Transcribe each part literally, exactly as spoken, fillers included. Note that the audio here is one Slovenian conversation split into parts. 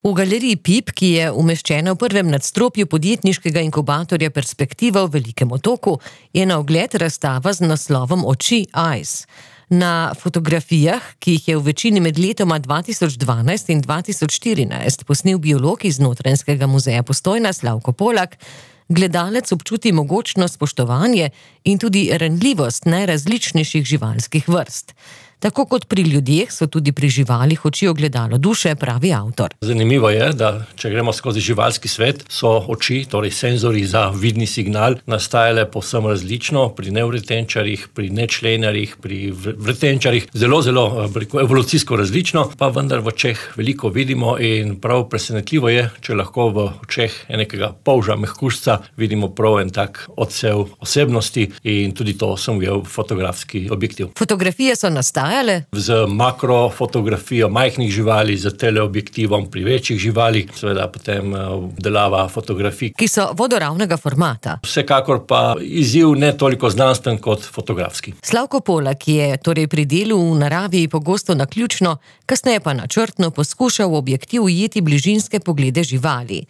V galeriji Pip, ki je umeščena v prvem nadstropju podjetniškega inkubatorja Perspektiva v Velikem Otoku, je na ogled razstava z naslovom Oči Eyes. Na fotografijah, ki jih je v večini med letoma dva tisoč dvanajst in dva tisoč štirinajst posnel biolog iz Notranjskega muzeja Postojna Slavko Polak, gledalec občuti mogočno spoštovanje in tudi ranljivost najrazličnejših živalskih vrst. Tako kot pri ljudeh so tudi pri živalih oči ogledalo duše, pravi avtor. Zanimivo je, da če gremo skozi živalski svet, so oči, torej senzori za vidni signal, nastajale povsem različno pri nevretenčarjih, pri nečlenarjih, pri vretenčarjih, zelo, zelo evolucijsko različno, pa vendar v očeh veliko vidimo in prav presenetljivo je, če lahko v očeh enega polža mehkužca vidimo prav en tak odsev osebnosti in tudi to sem ujel fotografski objektiv. Fotografije so nastajale z makrofotografijo majhnih živali, z teleobjektivom pri večjih živalih, seveda potem obdelava fotografij, ki so vodoravnega formata. Vsekakor pa izziv ne toliko znanstven kot fotografski. Slavko Polak je torej pri delu v naravi pogosto naključno, kasneje pa načrtno poskušal v objektiv ujeti bližinske poglede živali.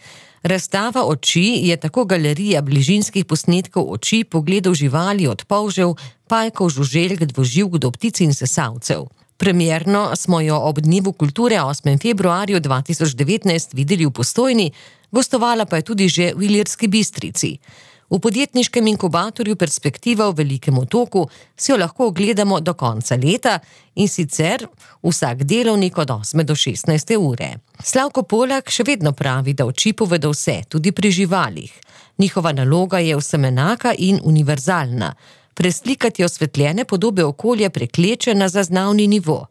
Razstava Oči je tako galerija bližinskih posnetkov oči, pogledov živali od polžev, pajkov, žuželk, dvoživk do ptic in sesalcev. Premierno smo jo ob Dnevu kulture osmega februarja dva tisoč devetnajst videli v Postojni, gostovala pa je tudi že v Ilirski Bistrici. V podjetniškem inkubatorju Perspektiva v Velikem Otoku si jo lahko ogledamo do konca leta in sicer vsak delovnik od osme do šestnajste ure. Slavko Polak še vedno pravi, da oči povedo vse, tudi pri živalih. Njihova naloga je vsem enaka in univerzalna. Preslikati osvetljene podobe okolja prekleče na zaznavni nivo.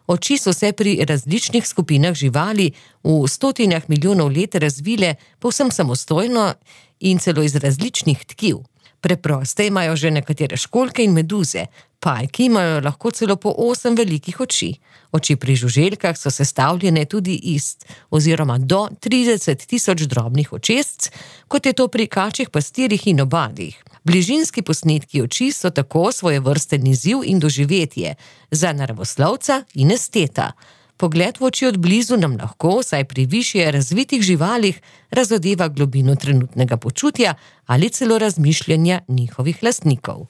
Oči so se pri različnih skupinah živali v stotinah milijonov let razvile povsem samostojno in celo iz različnih tkiv. Preproste imajo že nekatere školjke in meduze, pajki imajo lahko celo po osem velikih oči. Oči pri žuželkah so sestavljene tudi iz oziroma do trideset tisoč drobnih očesc, kot je to pri kačjih pastirjih in obadih. Bližinski posnetki oči so tako svojevrsten izziv in doživetje za naravoslovca in esteta. Pogled v oči od blizu nam lahko, saj pri višje razvitih živalih, razodeva globino trenutnega počutja ali celo razmišljanja njihovih lastnikov.